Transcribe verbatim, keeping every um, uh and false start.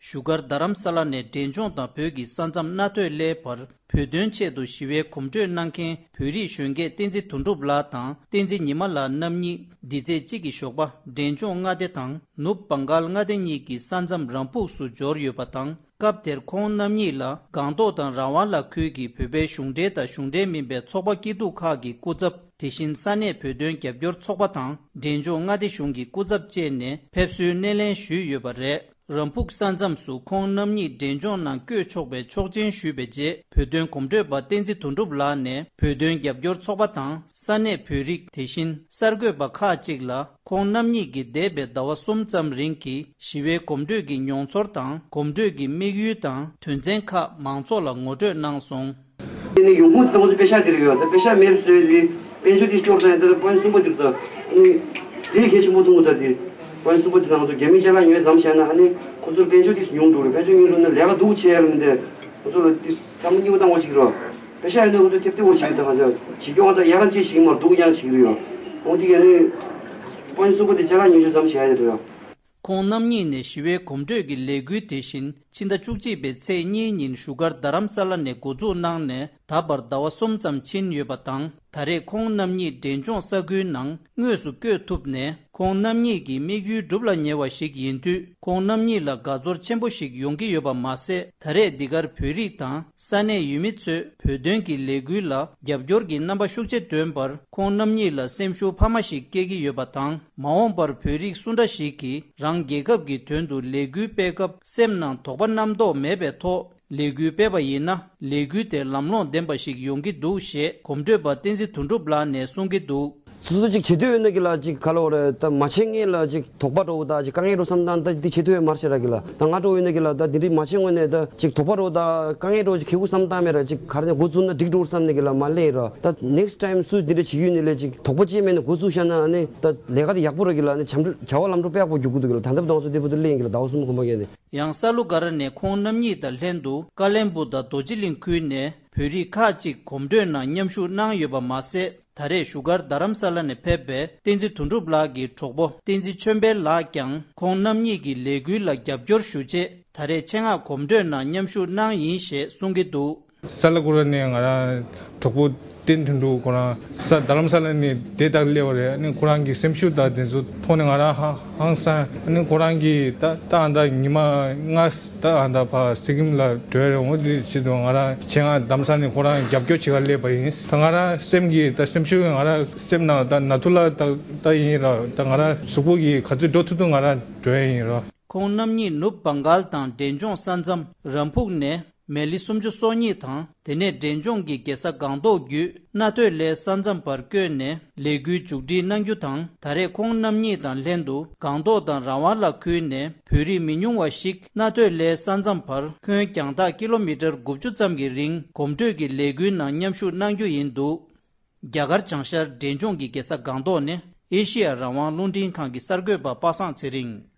བཞུགས་སྒར་རྡ་རམ་ས་ལ་ནས་འབྲས་ལྗོངས་དང་བོད་ཀྱི་ས་མཚམས་རྣ་ཐོས་སླའི་བར་བོད་དོན་ཆེད་དུ་ཞི་བའི་གོམ་བགྲོད་གནང་མཁན་བོད་རིགས་གཞོན་སྐྱེས་བསྟན་འཛིན་དོན་གྲུབ་ལགས་དང་བསྟན་འཛིན་ཉི་མ་ལགས་རྣམ་གཉིས་འདི་ཚེས་གཅིག་གི་ཞོགས་པ་འབྲས་ལྗོངས་མངའ་སྡེ་དང་ནུབ་བྷང་གཱལ་མངའ་སྡེ་གཉིས་ཀྱི་ས་མཚམས་རམ་ཕུག་སུ་འབྱོར་ཡོད་པ་དང་། སྐབས་དེར་ཁོང་རྣམ་གཉིས་ལ་སྒང་ཏོག་དང་རང་དབང་ལ་ཁུལ་གྱི་བོད་པའི་གཞུང་འབྲེལ་དང་གཞུང་འབྲེལ་མིན་པའི་ཚོགས་པ་སྐྱིད་སྡུག་ཁག་གི་སྐུ་ཚབ། དེ་བཞིན་ས་གནས་བོད་དོན་རྒྱབ་སྐྱོར་ཚོགས་པ་དང་འབྲས་ལྗོངས་མངའ་སྡེ་གཞུང་གི་སྐུ་ཚབ་བཅས་ནས་ཕེབས་བསུའི་སྣེ་ལེན་ཞུས་ཡོད་པ་རེད། རམ་ཕུག་ས་མཚམས་སུ་ཁོང་རྣམ་གཉིས་འབྲས་ལྗོངས་ནང་བསྐྱོད་ཆོག་པའི་ཆོག་མཆན་ཞུས་པའི་རྗེས་བོད་དོན་གོམ་བགྲོད་པ་བསྟན་འཛིན་དོན་གྲུབ་ལགས་ནས་བོད་དོན་རྒྱབ་སྐྱོར་ཚོགས་པ་དང་ས་གནས་བོད་རིགས་དེ་བཞིན་གསར་འགོད་པ་ཁག་ཅིག་ལ། ཁོང་རྣམ་གཉིས་ཀྱིས་འདས་པའི་ཟླ་བ་གསུམ་ཙམ་རིང་གི་ཞི་བའི་གོམ་བགྲོད་ཀྱི་མྱོང་ཚོར་དང་གོམ་བགྲོད་ཀྱི་དམིགས་ཡུལ་དང་དོན་ཚན་ཁག་མང་ཚོགས་ལ་ངོ་སྤྲོད་གནང་སོང་། དེ་ནས་ཡོང་ཁུངས་དེ་ང་ཚོ་པེ་ཤག་དེ་རེད་ཡོད། ད་པེ་ཤག་མེད་པ་བཟོས་ཏེ་དཔལ་འབྱོར་དེ་སྐྱོར་ཙང་ད་དཔལ་གསུམ་པ་དེ་རེད། ད་ཨ་ནི་དེ་གལ་ཆེན་པོ་མཐོང་གི་ད་དེ་དཔལ་གསུམ་པ་དེ་ང་ཚོ་རྒྱ་མི་ཅ་ལག་ཉོས་ཙམ་བྱས་ན་ཨ་ནི་ཁོ་ཚོར་དཔལ་འབྱོར་དེ་ཉུང་འགྲོ་རེད། དཔལ་འབྱོར་ཉུང་འགྲོ་ན་ལས་ཀ་སྡུག་ཆེ་ཡ་རེད། མི་འདུག་ཁོ་ཚོ་ལ་དེ་བསམ་བློ་སྐྱིད་པོ་བཏང་བ་ཅིག་རེད། པེ་ཤག་ཡིན་ན་ཁོ་ཚོ་ཐེབས་ཐེབས་པོ་ཞིག་ད་ང་ཚོ་བྱེད་སྐྱོང་ད་ཡག་ག་ཅིག་ཞིག་མར་སྡུག་ཡང་ཞིག་རེད་ཡོད། འོ་དེ་ག་ནི་དཔལ་གསུམ་པ་དེ་ཅ་ལག་ཉོས་ཙམ་བྱས་ཡ་དེ་རེད་ཡོད། ཁོང་རྣམ་གཉིས་ནས་ཞི་བའི་གོམ་བགྲོད་ཀྱི་ལས་འགུལ་དེ་བཞིན་ཕྱི་ཟླ་བཅུ་གཅིག་པའི་ཚེས་གཉིས་ཉིན་བཞུགས་སྒར་རྡ་རམ་ས་ལ་ནས་འགོ་འཛུགས་གནང་ནས་ད་བར་ཟླ་བ་གསུམ་ཙམ་ཕྱིན་ཡོད་པ་དང་། ད་རེས་ཁོང་རྣམ་གཉིས་འབྲས་ལྗོངས་ས་ཁུལ་ནང་དངོས་སུ་བསྐྱོད་ཐུབ་ནས་ཁོང་རྣམ་གཉིས་ཀྱི་དམིགས་ཡུལ་འགྲུབ་ལ་ཉེ་བ་ཞིག་ཡིན་དུས་ཁོང་རྣམ་གཉིས་ལ་དགའ་ཚོར་ཆེན་པོ་ཞིག་ཡོང་གི་ཡོད་པ་མ་ཟད། ད་རེས་འདི་གར་བོད་རིགས་དང་ས་གནས་ཡུལ་མི་ཚོས་བོད་དོན་གྱི་ལས་འགུལ་ལ་རྒྱབ་སྐྱོར་གྱི་རྣམ་པ་ཤུགས་ཆེ་སྟོན་པར་ཁོང་རྣམ་གཉིས་ལ་སེམས་ཤུགས་འཕར་མ་ཞིག་སྐྱེ་གི་ཡོད་པ་དང་། མ་འོངས་པར་བོད་རིགས་སུ་འདྲ་ཞིག་གིས་རང་རྒྱལ་ཁབ་ཀྱི་དོན་དུ་ལས་འགུལ་སྤེལ་སྐབས་སེམས་ནང་དོགས་པ་རྣམ་རྟོག་མེད་པའི་ཐོག་ལས་འགུལ་སྤེལ་བ་ཡིན་ན་ལས་འགུལ་དེ་ལམ་ལྷོང་ལྡན་པ་ཞིག་ཡོང་གི་འདུག་ཞེས་གོམ་བགྲོད་པ་བསྟན་འཛིན་དོན་གྲུབ་ལགས་ནས་གསུང་གི་འདུག། སོ་སོ་ཅིག་བྱེད་འདོད་ཡོད་ན་གི་ལ་ཅིག་ག་ལ་བ་རེད། ད་མ་བྱེད་ངེས་ལ་ཅིག་དོགས་པ་འགྲོ་གི་ད་ཅིག་དཀའ་ངལ་འགྲོ་བསམ་སྟངས་ད་འདི་བྱེད་ཐུབ་ཡོད་མ་རེད་ཤ་ར་གི་ལ། ད་ང་འགྲོ་ཡོད་ན་གི་ལ་ད་འདི་འདྲའི་མ་བྱེད་ངོས་ནས་ད་ཅིག་དོགས་པ་འགྲོ་ད་དཀའ་ངལ་འགྲོ་ཅིག་ཁེ་གུ་བསམ་སྟངས་མེད་ར། ཅིག་ག་རེ་ནས་འགོ་བཙུགས་ན་འགྲིག་འགྲོ་བསམ་ནས་གི་ལ་མ་ལེན་ར། ད་next time་སུ་འདི་འདྲ་བྱེད་ཡོད་ནི་ལས་ཅིག་དོགས་པ་ཅི་མེད་ན་འགོ་བཙུགས་ཤ་ན་ཨ་ནི་ད་ལས་ཀ་དེ་ཡག་པོ་ར་གི་ལ་ནི་བྱམས་བྱ་བ་ལམ་འགྲོ་དཔེ་ཡག་པོ་རྒྱུག་གི་འདུག་གི་ལ། ད་ལྟ་བུ་དང་སུ་དེ་བུ་དུ་ལེན་གི་ལ་ཟླ་བ་གསུམ་གོམ་པ་གས་ནས། ཡང་ས་ལུ་ག་ར་ནས་ཁོང་རྣམ་གཉིས་དང་ལྷན་དུ་ཀ་ལན་སྦུག་དང་རྡོ་རྗེ་གླིང་ཁུལ་ནས་བོད་རིགས་ཁག་ཅིག་གོམ་བགྲོད་ནང་མཉམ་ཞུགས་གནང་ཡོད་པ་མ་ཟད། ད་རེས་བཞུགས་སྒར་རྡ་རམ་ས་ལ་ནས་ཕེབས་པའི་བསྟན་འཛིན་དོན་གྲུབ་ལགས་ཀྱི་གྲོགས་པོ་བསྟན་འཛིན་ཆོས་འཕེལ་ལགས་ཀྱང་ཁོང་རྣམ་གཉིས་ཀྱི་ལས་འགུལ་ལ་རྒྱབ་སྐྱོར་ཞུ་ཆེད་ད་རེས་ཆེད་མངགས་གོམ་བགྲོད་ནང་མཉམ་ཞུགས་གནང་ཡིན་ཞེས་གསུང་གི་འདུག། ས་ལ་ཀུ་ར་ནས་ང་རང་གྲོགས་པོ་བསྟན་དོན་གྲུབ་ཁོ་རང་ས་རྡ་རམ་ས་ལ་ནས་དེ་ལྟར་སླེབས་པ་རེད། ཨ་ནི་ཁོ་རང་གི་སེམས་ཤུགས་དང་དེ་ཚོ་མཐོང་ནས་ང་རང་ཧ་ཧང་སང་། ཨ་ནི་ཁོ་རང་གིས་ད་ད་ཨ་ད་ཉི་མ་ལྔ་ད་ཨ་ད་ཕ་སི་ཀིམ་ལ་འགྲོ་ཡ་རེད། འོ་དེ་ཆེད་དུ་ང་རང་ཆེད་མངགས་རྡ་རམ་ས་ལ་ནས་ཁོ་རང་རྒྱབ་སྐྱོར་བྱེད་ག་སླེབས་པ་ཡིན། ད་ང་རང་སེམས་ཀྱི་ད་སེམས་ཤུགས་ང་རང་སེམས་ནང་ད་ན་ཐུ་ལ་ད་ད་ཡིན་ར། ད་ང་རང་གཟུགས་པོ་གི་ག་ཚོད་འགྲོ་ཐུབ་ཐུབ་ང་རང་འགྲོ་ཡ་ཡིན་ར། ཁོང་རྣམ་གཉིས་ནུབ་བང་གལ་དང་འབྲས་ལྗོངས་ས་མཚམས་རམ་ཕུག་ནས་མལ་ལི་སུམ་ཅུ་སོ་གཉིས་དང་དེ་ནས་འབྲས་ལྗོངས་ཀྱི་རྒྱལ་ས་སྒང་ཏོག་བརྒྱུད་རྣ་ཐོས་སླའི་ས་མཚམས་བར་བསྐྱོད་ནས་ལས་འགུལ་མཇུག་སྒྲིལ་གནང་རྒྱུ་དང་། ད་རེས་ཁོང་རྣམ་གཉིས་དང་ལྷན་དུ་སྒང་ཏོག་དང་རང་དབང་ལ་ཁུལ་ནས་བོད་རིགས་མི་ཉུང་བ་ཞིག་རྣ་ཐོས་སླའི་ས་མཚམས་བར་ཁྱོན་རྒྱང་ཐག་ཀི་ལོ་མི་ཊར་དགུ་བཅུ་ཙམ་གྱི་རིང་གོམ་བགྲོད་ཀྱི་ལས་འགུལ་ནང་མཉམ་ཞུགས་གནང་རྒྱུ་ཡིན་འདུག། རྒྱ་གར་བྱང་ཤར་འབྲས་ལྗོངས་ཀྱི་རྒྱལ་ས་སྒང་ཏོག་ནས་ཨེ་ཤི་ཡ་རང་དབང་རླུང་འཕྲིན་ཁང་གི་གསར་འགོད་པ་པ་སངས་ཚེ་རིང་།